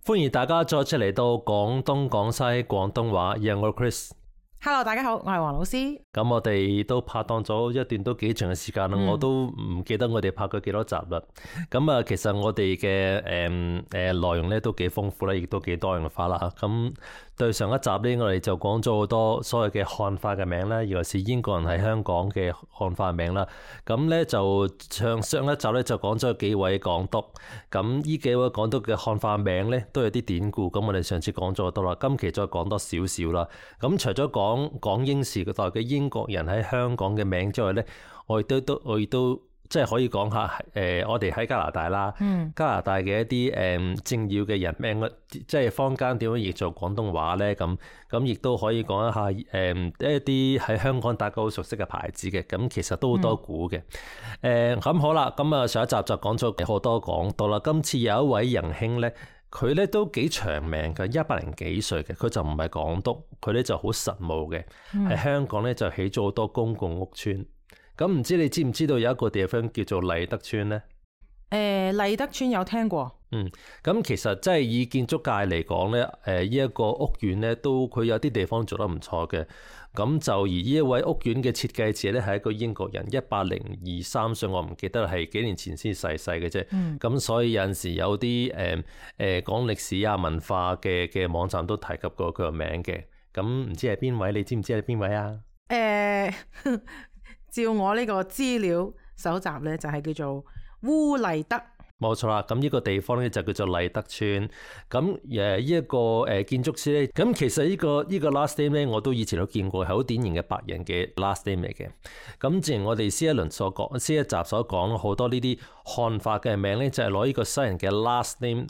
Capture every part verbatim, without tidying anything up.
歡迎大家再次嚟到廣東廣西廣東話，讓我 Chris。Hello， 大家好，我係黃老師。咁我哋都拍檔咗一段都幾長嘅時間啦，嗯、我都唔記得我哋拍過幾多集啦。咁啊，其實我哋嘅誒誒內容咧都幾豐富啦，亦都幾多元化啦。咁對上一集咧，我哋就講咗好多所謂嘅漢化嘅名啦，尤其是英國人喺香港嘅漢化名啦。咁咧就上上一集咧就講咗幾位港督，咁呢幾位港督嘅漢化名咧都有啲典故。咁我哋上次講咗好多啦，今期再講多少少啦。咁除咗講港英時代嘅英國人喺香港嘅名之外咧，我亦都都我亦都即係可以講下誒、呃，我哋喺加拿大啦，嗯、加拿大嘅一啲誒、呃、政要嘅人名，即係坊間點樣譯做廣東話咧？咁咁亦都可以講一下誒、呃、一啲喺香港大家好熟悉嘅牌子嘅，咁其實都好多股嘅。誒咁、嗯呃、好啦，咁啊上一集就講咗好多講到啦，今次有一位仁兄咧。佢咧都幾長命嘅，一百零幾歲嘅，佢就唔係港督，佢咧就好實務嘅，喺、嗯、香港咧就起咗好多公共屋邨。咁唔知你知唔知道有一個地方叫做勵德邨咧？誒，勵德邨有聽過。嗯，咁其實即係以建築界嚟講咧，誒呢一個屋苑咧都佢有啲地方做得唔錯嘅。咁就而呢一位屋苑嘅設計者咧係一個英國人，一百零二三歲，我唔記得係幾年前先逝世嘅啫。咁、嗯、所以有陣時有啲誒誒講歷史啊文化嘅嘅網站都提及過佢個名嘅。咁唔知係邊位？你知唔知係邊位啊？誒、呃，照我呢個資料搜集咧，就係、是、叫做鄔勵德。冇錯啦，咁呢個地方咧就叫做勵德邨。咁誒呢一個誒建築師咧，咁其實呢個呢個 last name 咧，我都以前都見過，係好典型嘅白人嘅 last name 嚟嘅。咁正如我哋先一輪所講，先一集所講，好多呢啲漢化嘅名咧，就係攞呢個西人嘅 last name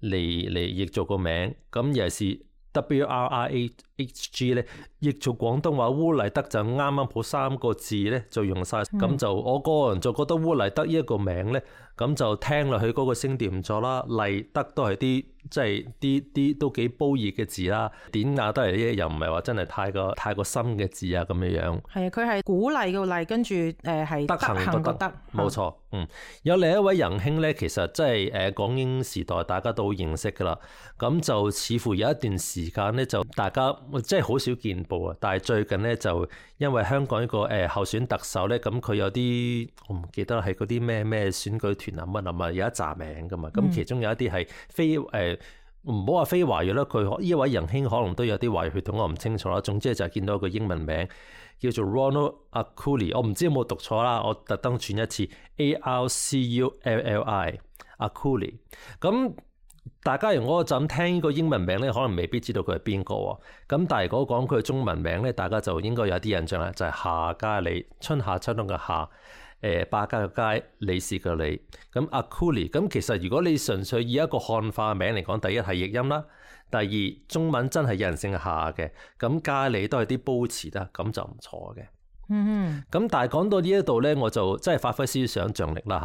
嚟嚟譯做個名。咁尤其是 W R I H G 咧，譯做廣東話鄔勵德就啱啱好三個字咧就用晒。咁、嗯、就我個人就覺得鄔勵德呢一個名咧。咁就聽落去嗰個聲調唔錯啦，勵德都係啲即係啲啲都幾褒義嘅字啦，典雅得嚟咧又唔係話真係太過太過深嘅字啊咁樣樣。係啊，佢係鼓勵個勵，跟住誒係德行個德，冇錯。嗯，有另一位仁兄咧，其實即係誒港英時代大家都認識噶啦，咁就似乎有一段時間咧就大家即係好少見報啊，但係最近咧就因為香港一個誒候選特首咧，咁佢有啲我唔記得係嗰啲咩咩選舉團啊乜啊嘛，有一紮名噶嘛，咁其中有一啲係非誒唔好話非華裔啦，佢呢位仁兄可能都有啲華裔血統，我唔清楚啦。總之就係見到一個英文名叫做 Ronald Arculi， 我唔知有冇讀錯啦，我特登轉一次 A R C U L L I Arculi。咁大家如果就咁聽呢個英文名咧，可能未必知道佢係邊個喎。咁但係如果講佢嘅中文名咧，大家就應該有啲印象啦，就係、是、夏嘉理，春夏秋冬嘅夏。誒百家嘅家，理事嘅理，咁 Arculi， 咁其實如果你純粹以一個漢化名嚟講，第一係譯音啦，第二中文真係有人姓夏嘅，咁嘉理都係啲褒詞啦，咁就唔錯嘅。嗯，咁但係講到呢一度咧，我就真係發揮少少想像力啦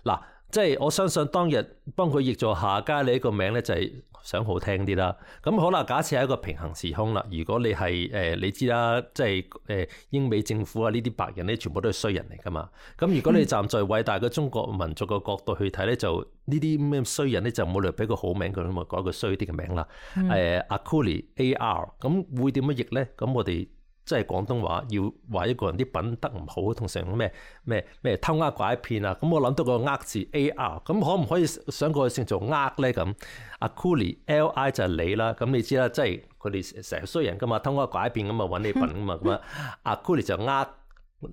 嚇。嗱，即係我相信當日幫佢譯做夏嘉理呢個名咧，就係想好聽啲啦。咁好啦，假設係一個平行時空啦。如果你係誒、呃，你知啦，即係誒英美政府啊呢啲白人咧，全部都係衰人嚟噶嘛。咁如果你站在偉大嘅中國民族嘅角度去睇咧，就呢啲咩衰人咧，就冇理由俾個好名佢，咁咪改一個衰啲嘅名啦。誒、嗯呃、Arculi A R， 咁會點樣譯咧？咁我哋即係廣東話要話一個人啲品德唔好，通常咩咩咩偷呃拐騙啊，咁我諗到個呃字 A R， 咁可唔可以想過去先做呃咧？咁 Arculi L I 就係你啦，咁你知啦，即係佢哋成日衰人噶嘛，偷呃拐騙咁啊揾你笨噶嘛，咁啊 Arculi 就呃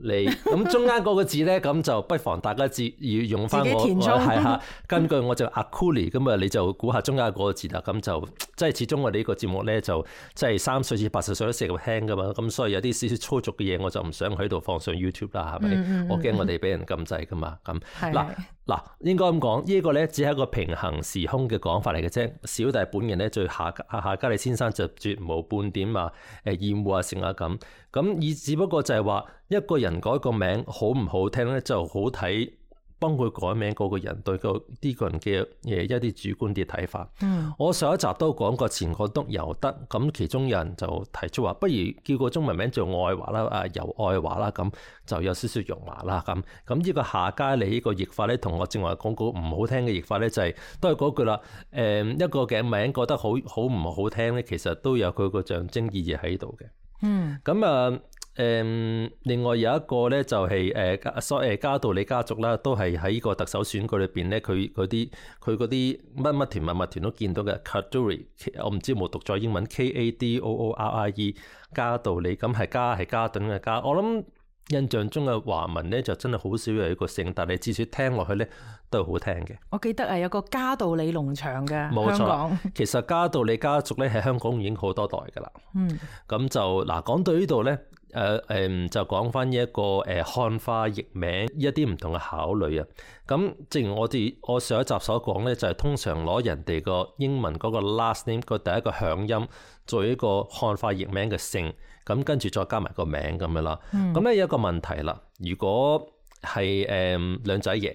你，咁中間嗰個字咧，咁就不妨大家自要用翻我係嚇，根據我就 Arculi， 咁啊你就估下中間嗰個字啦，咁就即係始終我哋呢個節目咧就即係三歲至八十歲都適合聽噶嘛，咁所以有啲少少粗俗嘅嘢我就唔想喺度放上 YouTube 啦，係咪？嗯嗯嗯我驚我哋俾人禁制噶嘛，咁嗱嗱應該咁講，呢、這個咧只係一個平行時空嘅講法嚟嘅啫。小弟本人咧對夏夏嘉理先生就絕無半點啊誒厭惡啊成啊咁，咁以只不過就係話一個人改個名好唔好聽咧，就好睇幫佢改名嗰個人對個呢個人嘅誒一啲主觀啲睇法。嗯，我上一集都講過前港督尤德，咁其中有人就提出話，不如叫個中文名做愛華啦，啊尤愛華啦，咁就有少少容華啦。咁咁呢個夏佳理呢個譯法咧，同我正話講過唔好聽嘅譯法咧，就係、是、都係嗰句啦。誒一個嘅名覺得好好唔好聽咧，其實都有佢個象徵意義喺度嘅。嗯，咁啊。誒、嗯，另外有一個咧就係誒所誒嘉道理家族啦，都係喺呢個特首選舉裏邊咧，佢嗰啲佢嗰啲乜乜團乜乜團都見到嘅 Kadoorie， 我唔知有冇讀咗英文 K A D O O R I E 嘉道理，咁係嘉係嘉頓嘅嘉。我諗印象中嘅華文咧就真係好少有一個姓，但係至少聽落去咧都係好聽嘅。我記得係有個嘉道理農場嘅，冇錯，香港其實嘉道理家族咧喺香港已經好多代㗎啦。嗯，咁就嗱講到呢度咧。誒誒、呃、就講翻一個誒、呃、漢化譯名一啲唔同嘅考慮啊。咁正如我哋我上一集所講咧，就係、是、通常攞人哋個英文嗰個 last name 個第一個響音做一個漢化譯名嘅姓，咁跟住再加埋個名咁樣啦。咁咧、嗯、有一個問題啦，如果係誒、呃、兩仔爺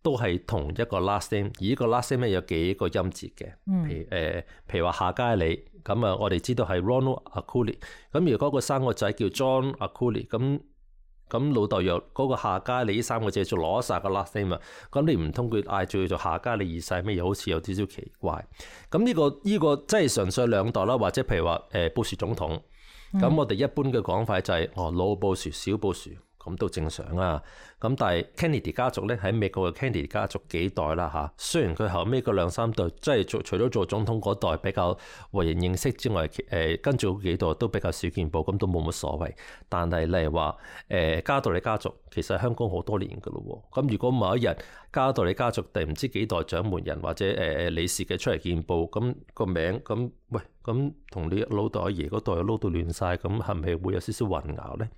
都係同一個 last name，而呢個 last name 咧有幾個音節嘅，譬如誒、呃、譬如話夏佳理。咁啊，我哋知道係 Ronald Akulia。咁如果個生個仔叫 John Akulia，咁咁老豆又嗰個夏佳理呢三個字就攞晒個 last name 啊。咁你唔通佢嗌住佢做夏佳理二世咩？又好似有少少奇怪。咁呢、呢個呢、呢個即係純粹兩代啦，或者譬如話誒布殊總統。咁、嗯、我哋一般嘅講法就係、是、哦老布殊、小布殊。咁都正常啊，咁但係 Kennedy 家族咧喺美國嘅 Kennedy 家族幾代啦嚇，雖然佢後尾嗰兩三代即係做除咗做總統嗰代比較為人認識之外，誒、呃、跟住嗰幾代都比較少見報，咁都冇乜所謂。但係例如話誒嘉道理家族其實香港好多年㗎咯喎，咁如果某一日嘉道理家族第唔知幾代掌門人或者誒誒、呃、理事嘅出嚟見報，咁、個名咁喂咁同你老豆阿爺嗰代撈到亂晒，咁係咪會有少少混淆咧？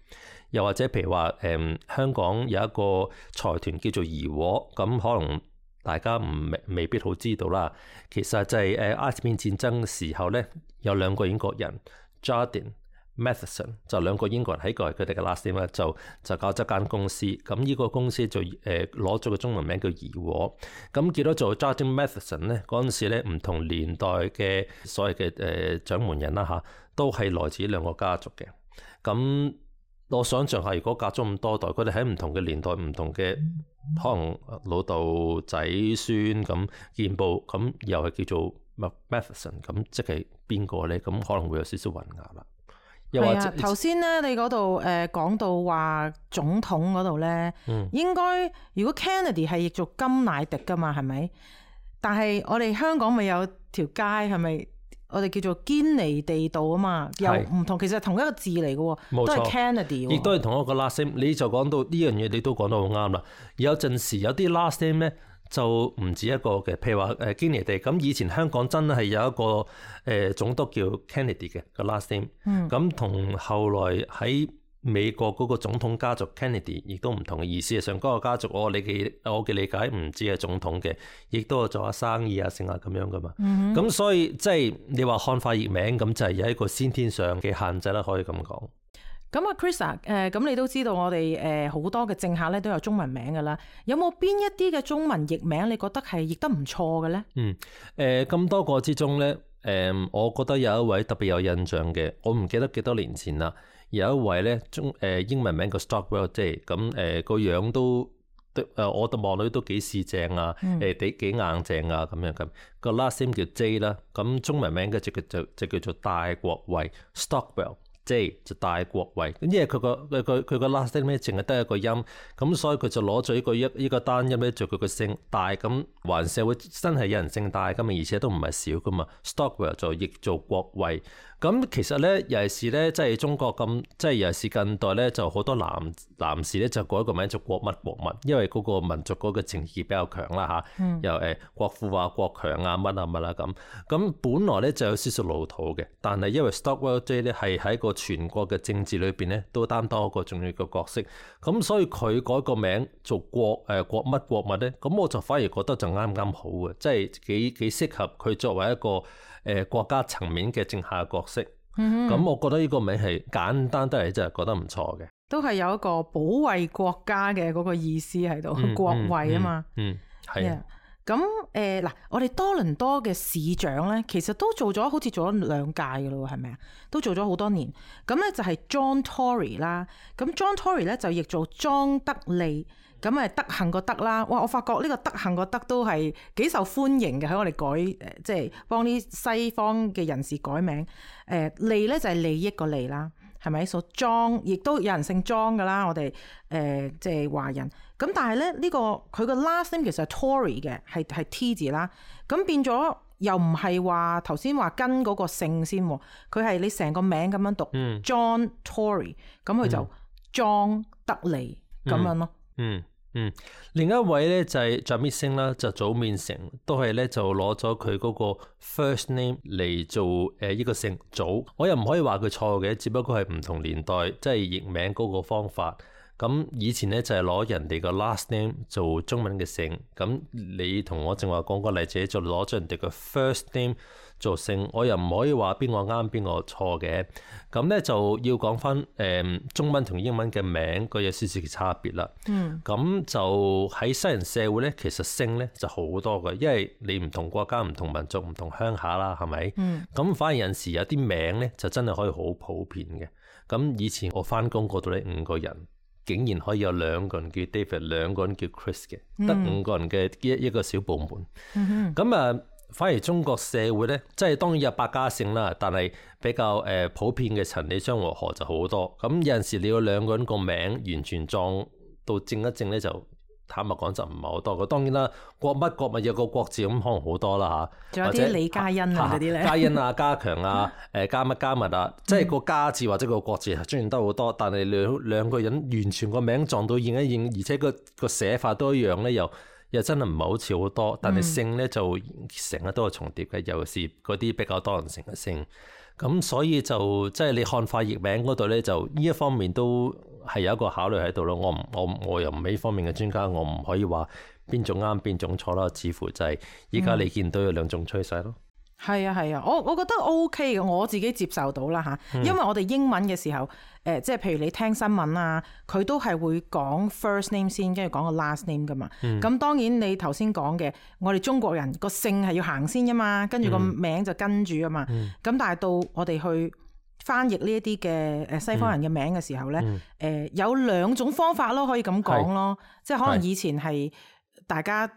又或者譬如話誒、嗯、香港有一個財團叫做怡和，咁可能大家唔未，未必好知道啦。其實就係誒鴉片戰爭嘅時候咧，有兩個英國人 Jardine、Matheson 就兩個英國人喺個佢哋嘅 last name 就就搞咗間公司。咁呢個公司就誒攞咗個中文名叫怡和。咁叫咗做 Jardine-Matheson 咧，嗰陣時咧唔同年代嘅所謂嘅誒掌門人啦嚇，都係來自兩個家族嘅。咁我想象下，如果隔咗咁多代，佢哋喺唔同嘅年代、唔同嘅可能老豆仔孫咁見報，咁又係叫做 Matheson， 咁即係邊個咧？咁可能會有少少混淆啦。又或者頭先咧，你嗰度誒講到話總統嗰度咧，嗯、應該如果 Kennedy 係譯做甘乃迪噶嘛，係咪？但係我哋香港咪有條街係咪？我哋叫做堅尼地道啊嘛，又唔同，是其實同一個字嚟嘅喎，錯都係 Kennedy，亦都係同一個 last name。你就講到呢樣嘢，你都講得好啱啦。有陣時有啲 last name 咧就唔止一個嘅，譬如話誒堅尼地。咁以前香港真係有一個誒、呃、總督叫 Kennedy 嘅個 last name。咁同、嗯、後來喺美國嗰個總統家族 Kennedy 亦都唔同嘅意思。上嗰個家族我理解我嘅理解唔止係總統嘅，亦都係做下生意啊、成啊咁樣噶嘛。咁、嗯、哼所以即係你話漢化譯名咁就係有一個先天上嘅限制啦，可以咁講。咁啊，Chris 啊，誒咁你都知道我哋誒好多嘅政客咧都有中文名噶啦，有冇邊一啲嘅中文譯名你覺得係譯得唔錯嘅咧？嗯，誒咁多個之中咧，誒我覺得有一位特別有印象嘅，我唔記得幾多年前啦。有一位咧中誒英文名叫 Stockwell J， 咁誒個樣都誒我哋望到都幾四正啊，誒幾幾硬正啊咁樣咁。個 last name 叫 J 啦，咁中文名嘅就就就叫做戴國衛 Stockwell J 就戴國衛。咁因為佢個佢佢佢個 last name 咧淨係得一個音，咁所以佢就攞咗呢個一呢個單音咧做佢個姓戴。咁環社會真係有人姓戴噶嘛，而且都唔係少噶嘛。Stockwell 就譯做國衛。咁其實咧，尤其是咧，即係中國咁，即係尤其是近代咧，就好多男男士咧就改一個名做國乜國乜，因為嗰個民族嗰個情義比較強啦嚇，嗯、又誒國富啊、國強啊、乜啊乜啦咁。咁本來咧就有少少老土嘅，但係因為 Stockwell J 咧係喺個全國嘅政治裏邊咧都擔當一個重要嘅角色，咁所以佢改個名做國誒、呃、國乜國乜咧，咁我就反而覺得就啱啱好嘅，即係幾幾適合佢作為一個誒、呃、國家層面嘅政客角色，咁、嗯、哼我覺得呢個名係簡單得嚟，真係覺得唔錯嘅。都係有一個保衛國家嘅嗰個意思喺度，嗯、國衛啊嘛。嗯，係、嗯。咁誒嗱，我哋多倫多嘅市長咧，其實都做咗好似做咗兩屆嘅咯，係咪啊？都做咗好多年。咁咧就係 John Tory 啦。咁 John Tory 咧就譯做莊德利。咁誒德行個德啦。哇！我發覺呢個德行個德都係幾受歡迎嘅，喺我哋改誒，即係幫啲西方嘅人士改名。誒利咧就係利益個利啦。係咪？所以莊亦都有人姓莊㗎啦，我哋誒即係華人。咁但係咧呢、呢個佢個 last name 其實係 Tory 嘅，係係 T 字啦。咁變咗又唔係話頭先話跟嗰個姓先，佢係你成個名咁樣讀、嗯、John Tory， 咁佢就莊德利咁、嗯、樣咯。嗯嗯，另一位咧就係 Jamit Singh 啦，就早面成都係咧就攞咗佢嗰個 first name 嚟做誒呢個姓祖。我又唔可以話佢錯嘅，只不過係唔同年代即係譯名嗰個方法。咁以前咧就係攞人哋個 last name 做中文嘅姓，咁你同我正話講個例子就攞咗人哋個 first name 做姓，我又唔可以話邊個啱邊個錯嘅。咁咧就要講翻誒中文同英文嘅名個有少少嘅差別啦。嗯，咁就喺西人社會咧，其實姓咧就好多嘅，因為你唔同國家、唔同民族、唔同鄉下啦，係咪？嗯，咁反而有陣時有啲名咧就真係可以好普遍嘅。咁以前我翻工嗰度咧五個人，竟然可以有兩個人叫 David， 兩個人叫 Chris 嘅，得五個人嘅一一個小部門。嗯咁啊，反而中國社會咧，即係當然有百家姓啦，但係比較誒普遍嘅陳李張黃何就好多。咁有陣時你要兩個人個名完全撞到正一正咧，就坦白講就唔係好多嘅。當然啦，國乜國物有個國字咁可能好多啦嚇。仲有啲李嘉欣啊嗰啲咧，嘉欣啊、加強啊、誒加乜加密啊，即係個家字或者個國字出現得好多，但係兩兩個人完全個名撞到應一應，而且個個寫法都一樣咧，又又真係唔係好似好多，但係姓咧就成日都係重疊嘅，尤其是嗰啲比較多人成嘅姓。咁所以就即係、就是、你漢化譯名嗰度咧，就呢一方面都係有一個考慮喺度咯。我唔我我又唔係呢方面嘅專家，我唔可以話邊種啱邊種錯啦。似乎就係依家你見到有兩種趨勢咯。係啊係啊，我我覺得 OK 嘅，我自己接受到啦嚇。因為我哋英文嘅時候，誒、呃、即係譬如你聽新聞啊，佢都係會講 first name 先，跟住講個 last name 噶嘛。咁、嗯、當然你頭先講嘅，我哋中國人個姓係要行先噶嘛，跟住個名就跟住啊嘛。咁、嗯、但係到我哋去翻譯呢一啲嘅誒西方人嘅名嘅時候咧，誒、嗯呃、有兩種方法咯，可以咁講咯。即係可能以前係大家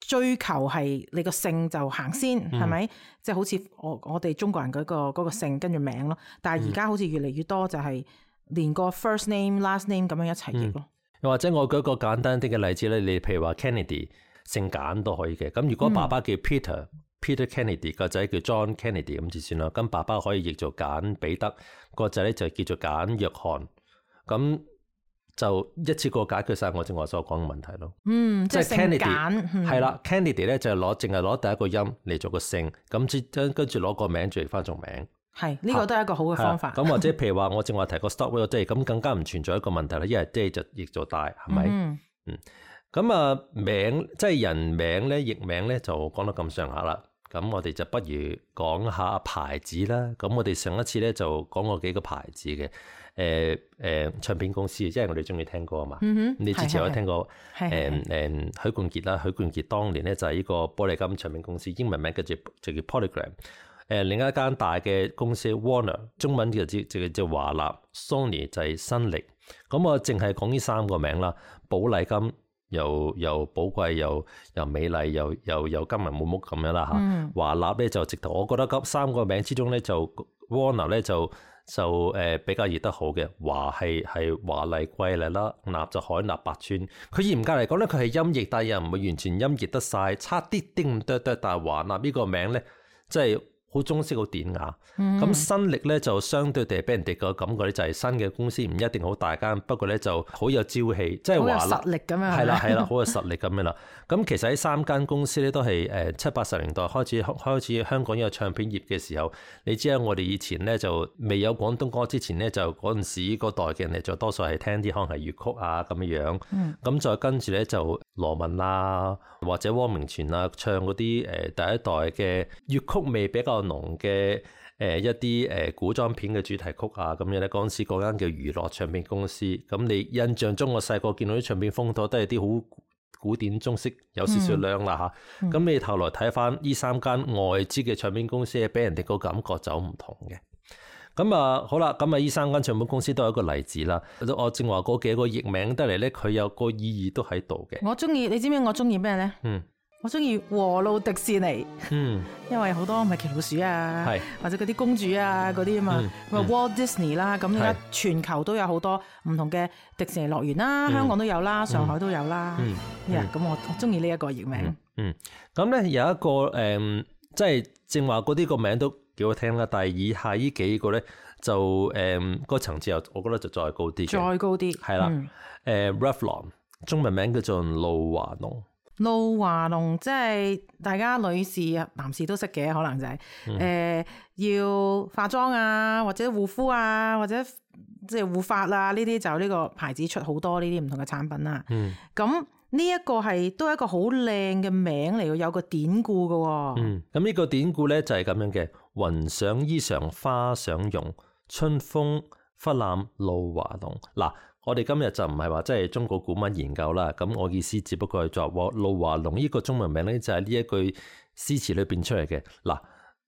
追求係你個姓就行先，係咪、嗯？即係好似我我哋中國人嗰、嗰個嗰個姓跟住名咯。但係而家好似越嚟越多就係連個 first name last name 咁樣一齊譯咯。又、嗯、或者我舉一個簡單啲嘅例子咧，你譬如話 Kennedy 姓簡都可以嘅。咁如果爸爸叫 Peter、嗯、Peter Kennedy， 個仔叫 John Kennedy 咁就算啦。咁爸爸可以譯做簡彼得，個仔咧就叫做簡約翰。咁就一次過解決晒我正話所講嘅問題咯。嗯，即係 Kennedy 係啦 ，Kennedy 咧就係攞淨係攞第一個音嚟做個姓，咁之跟跟住攞個名轉翻做名。係呢、這個都係一個好嘅方法。咁或者譬如話我正話提過 stop 即係咁更加唔存在一個問題啦，因為即係就譯做大係咪？嗯。咁、嗯、啊名即係人名咧譯名咧就講得咁上下啦。咁我哋就不如講下牌子啦。咁我哋上一次咧就講過幾個牌子嘅。誒、呃、誒、呃、唱片公司，即係我哋中意聽歌啊嘛。嗯、你之前有聽過誒誒許冠傑啦？許冠傑當年咧就係呢個寶麗金唱片公司，英文名叫做就叫 Polygram。誒、呃、另一間大嘅公司 Warner， 中文就叫就叫華納 ，Sony 就係新力。咁我淨係講呢三個名啦。寶麗金又又寶貴又又美麗又又又金銀滿屋咁樣啦嚇。華納咧就直頭，我覺得咁三個名之中咧就 Warner 咧就。就誒比較譯得好嘅，華係係華麗貴麗啦，納就海納百川。佢嚴格嚟講咧，佢係音譯，但係又唔會完全音譯得晒，差啲啲咁多多。但係華納呢個名咧，即係好中式好典雅。咁、嗯、新力咧就相對地俾人哋個感覺咧，就係新嘅公司唔一定好大間，不過咧就好有朝氣，即係華納實力咁樣。係啦係啦，好有實力咁樣啦。咁其實喺三間公司咧都係誒七八十年代開始開始香港有唱片業嘅時候，你知啊，我哋以前咧就未有廣東歌之前咧，就嗰陣時嗰代嘅人咧就多數係聽啲可能係粵曲啊咁樣樣。咁、嗯、再跟住咧就羅文啊或者汪明荃啊唱嗰啲誒第一代嘅粵曲味比較濃嘅。誒、誒一啲誒古裝片嘅主題曲啊咁樣咧。嗰陣時嗰間叫娛樂唱片公司，咁你印象中我細個見到啲唱片封套都係啲好古典中式，有少少靚啦嚇。咁、嗯、你後來睇翻呢三間外資嘅唱片公司，俾人哋個感覺就唔同嘅。咁啊好啦，咁啊呢三間唱片公司都係一個例子啦。我正話嗰幾個譯名得嚟咧，佢有個意義都喺度嘅。我中意，你知唔知我中意咩咧？嗯。我中意和路迪士尼，嗯，因為好多米奇老鼠啊，係或者嗰啲公主啊嗰啲啊嘛，咁、嗯嗯、Walt Disney 啦，咁而家全球都有好多唔同嘅迪士尼樂園啦，嗯、香港都有啦，上海都有啦，嗯，咁、yeah, 嗯、我我中意呢一個譯名，嗯，咁、嗯、咧有一個誒、嗯，即係正話嗰啲個名都幾好聽啦，但係以下呢幾個咧就誒、嗯個層次又我覺得就再高啲，再高啲，係啦，誒、嗯 uh, Revlon 中文名叫做露華濃。露華濃即係大家女士啊、男士都識嘅，可能就係、是、誒、嗯呃、要化妝啊，或者護膚啊，或者即係護髮啊，呢啲就呢個牌子出好多呢啲唔同嘅產品啦。咁呢一個係都係一個好靚嘅名嚟嘅，有個典故嘅、哦。嗯，咁呢個典故咧就係咁樣嘅：雲想衣裳花想容，春風忽攬露華濃。嗱。我哋今日就唔係話即係中國古文研究啦，咁我意思只不過係作露華濃呢個中文名咧，就係呢一句詩詞裏邊出嚟嘅。嗱，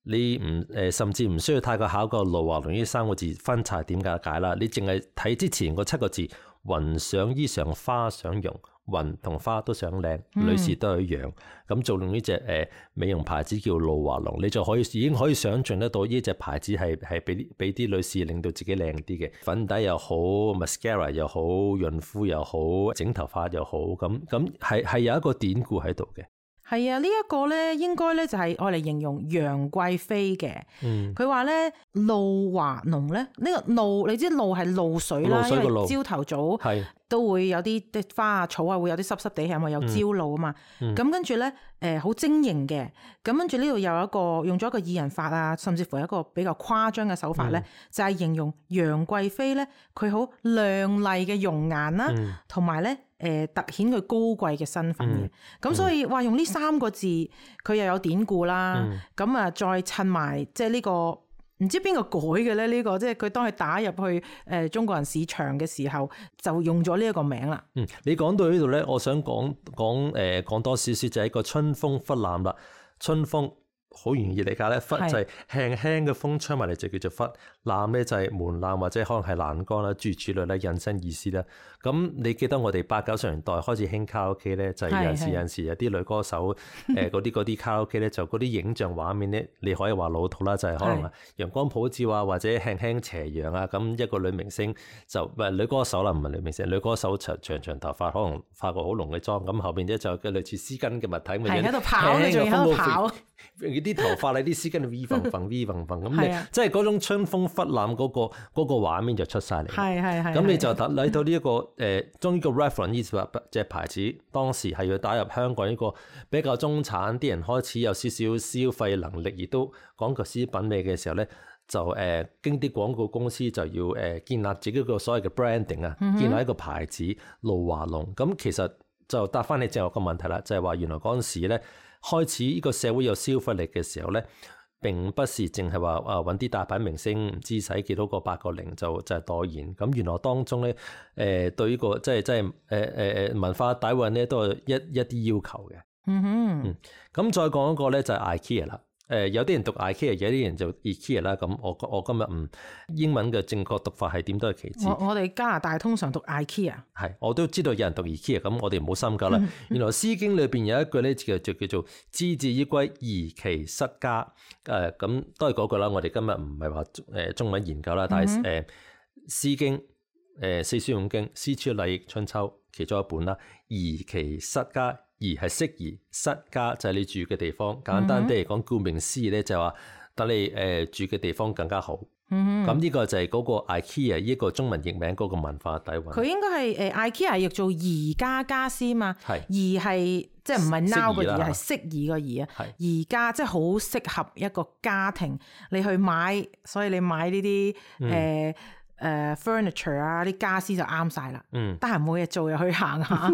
你唔誒甚至唔需要太過考究露華濃呢三個字分拆點解解啦，你淨係睇之前嗰七個字，雲想衣裳花想容，雲同花都想靚，女士都係一樣。咁、嗯、做用呢隻誒美容牌子叫露華濃，你就可以已經可以想象得到呢隻牌子係係俾俾啲女士令到自己靚啲嘅，粉底又好 mascara 又好，潤膚又好，整頭髮又好，咁咁係係有一個典故喺度嘅。係啊，呢、這、一個咧應該咧就係愛嚟形容楊貴妃嘅。佢話咧露華濃咧，呢、這個露你知露係露水啦，因為朝頭早都會有啲啲花啊草啊會有啲濕濕地，係咪有朝露啊嘛？咁、嗯、跟住咧誒好晶瑩嘅，咁跟住呢度又有一個用咗一個擬人法啊，甚至乎一個比較誇張嘅手法咧、嗯，就係、是、形容楊貴妃咧佢好亮麗嘅容顏啦，同埋咧。誒突顯佢高貴嘅身份嘅，咁、嗯、所以話用呢三個字，佢又有典故啦。咁、嗯、啊，再襯埋即係呢個唔知邊個改嘅咧？呢、呢個即係佢當佢打入去誒中國人市場嘅時候，就用咗呢一個名啦。嗯，你講到呢度咧，我想講講誒講多少少就係一個春風忽攬啦，春風。好容易理解咧，忽就係輕輕嘅風吹埋嚟就叫做忽，攬咧就係門檻或者可能係欄杆啦，諸如此類咧，引申意思啦。咁你記得我哋八九十年代開始興卡拉 OK 咧，就係有陣時有陣時有啲女歌手誒嗰啲嗰啲卡拉 OK 咧，就嗰啲影像畫面咧，你可以話老土啦，就係、是、可能陽光普照啊，或者輕輕斜陽啊，咁一個女明星就唔係女歌手啦，唔係女明星，女歌手長長長頭髮，可能化個好濃嘅妝，咁後邊咧就嘅類似絲巾嘅物體，係喺度跑，你仲喺度跑。啲頭髮你啲絲巾 V 縫縫 V 縫縫咁，你即係嗰種春風忽攬嗰個嗰個畫面就出晒嚟。係係係。咁你就睇到呢一個誒，將呢個 Revlon 呢隻牌子，當時係要打入香港呢個比較中產啲人開始有少少消費能力，亦都講究私品味嘅時候咧，就誒、呃、經啲廣告公司就要誒、呃、建立自己個所謂嘅 branding 啊、嗯，建立一個牌子露華濃。咁其實就答翻你正話個問題啦，就係、是、話原來嗰陣時咧。開始呢個社會有消費力嘅時候咧，並不是淨係話啊揾啲大牌明星唔知使幾多個八個零就就係代言。咁原來當中咧誒、呃、對呢、這個即係即係誒誒誒文化底蘊咧都係一一啲要求嘅。嗯哼。嗯。咁再講一個咧就係 IKEA 啦。誒、呃、有啲人讀 IKEA，有啲人就 IKEA 啦。咁我我今日唔英文嘅正確讀法係點都係其次。我我哋加拿大通常讀 IKEA。係，我都知道有人讀 IKEA，咁我哋唔好深究啦。原來《詩經》裏邊有一句咧就就叫做之至于歸，宜其室家。誒、呃、咁都係嗰句啦。我哋今日唔係話誒中文研究啦，但係誒《詩經》誒、呃、四書五經、詩書禮易春秋其中一本啦，宜其室家。而係適宜室家就係、是、你住嘅地方，簡單啲嚟講，顧名思義咧就係話等你誒、呃、住嘅地方更加好。咁、嗯、呢個就係嗰個 IKEA 呢個中文譯名嗰個文化底蘊。佢應該係誒 IKEA 譯做宜家家私嘛，宜係即係唔係 now 個宜，係適宜個宜啊。宜家即係好適合一個家庭你去買，所以你買呢啲誒。嗯呃誒、uh, furniture 啊，啲家私就啱晒啦。嗯，得閒冇嘢做又去行下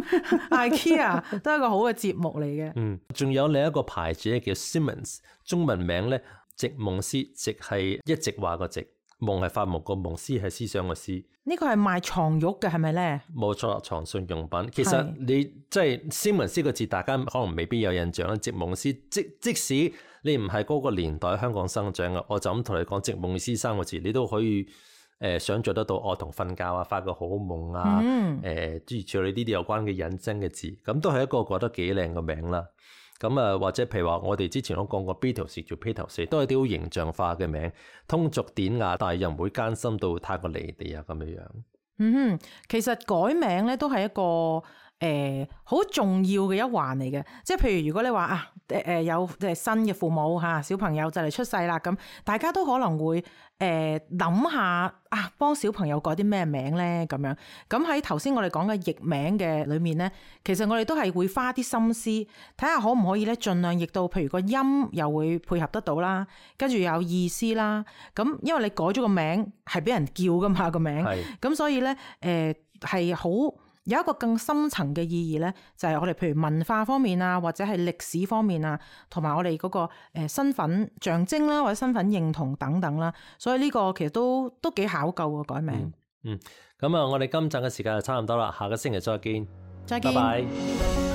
，IKEA 都係一個好嘅節目嚟嘅。嗯，仲有另一個牌子咧叫 Siemens， 中文名咧席夢思，席係一直話個席，夢係發夢個夢，思係思想個思。呢個係賣床褥嘅係咪咧？冇錯，床上用品。其實你即係斯文斯個字，大家可能未必有印象啦。席夢思，即即使你唔係嗰個年代香港生長嘅，我就咁同你講席夢思三個字，你都可以誒、呃、想像得到，我同瞓覺啊、發個好夢啊，誒諸如此類呢啲有關嘅引申嘅字，咁都係一個覺得幾靚嘅名啦。咁啊，或者譬如話，我哋之前都講過 Beatles 叫披頭士，都係啲好形象化嘅名，通俗典雅，但係又唔會艱辛到太過離地啊咁樣樣。嗯哼，其實改名咧都係一個誒好、呃、重要嘅一環嚟嘅，即係譬如如果你話啊誒誒有誒新嘅父母嚇小朋友就嚟出世啦，咁大家都可能會誒諗、呃、下啊幫小朋友改啲咩名咧咁樣。咁喺頭先我哋講嘅譯名嘅裏面咧，其實我哋都係會花啲心思睇下可唔可以咧，盡量譯到譬如個音又會配合得到啦，跟住有意思啦。咁因為你改咗個名係俾人叫噶嘛個名，咁所以咧誒係好。有一個更深層嘅意義咧，就係、是、我哋譬如文化方面啊，或者係歷史方面啊，同埋我哋嗰個誒身份象徵啦，或者身份認同等等啦，所以呢個其實都都幾考究嘅改名。嗯，咁、嗯、啊，我哋今集嘅時間就差唔多啦，下個星期再見，再見，拜拜。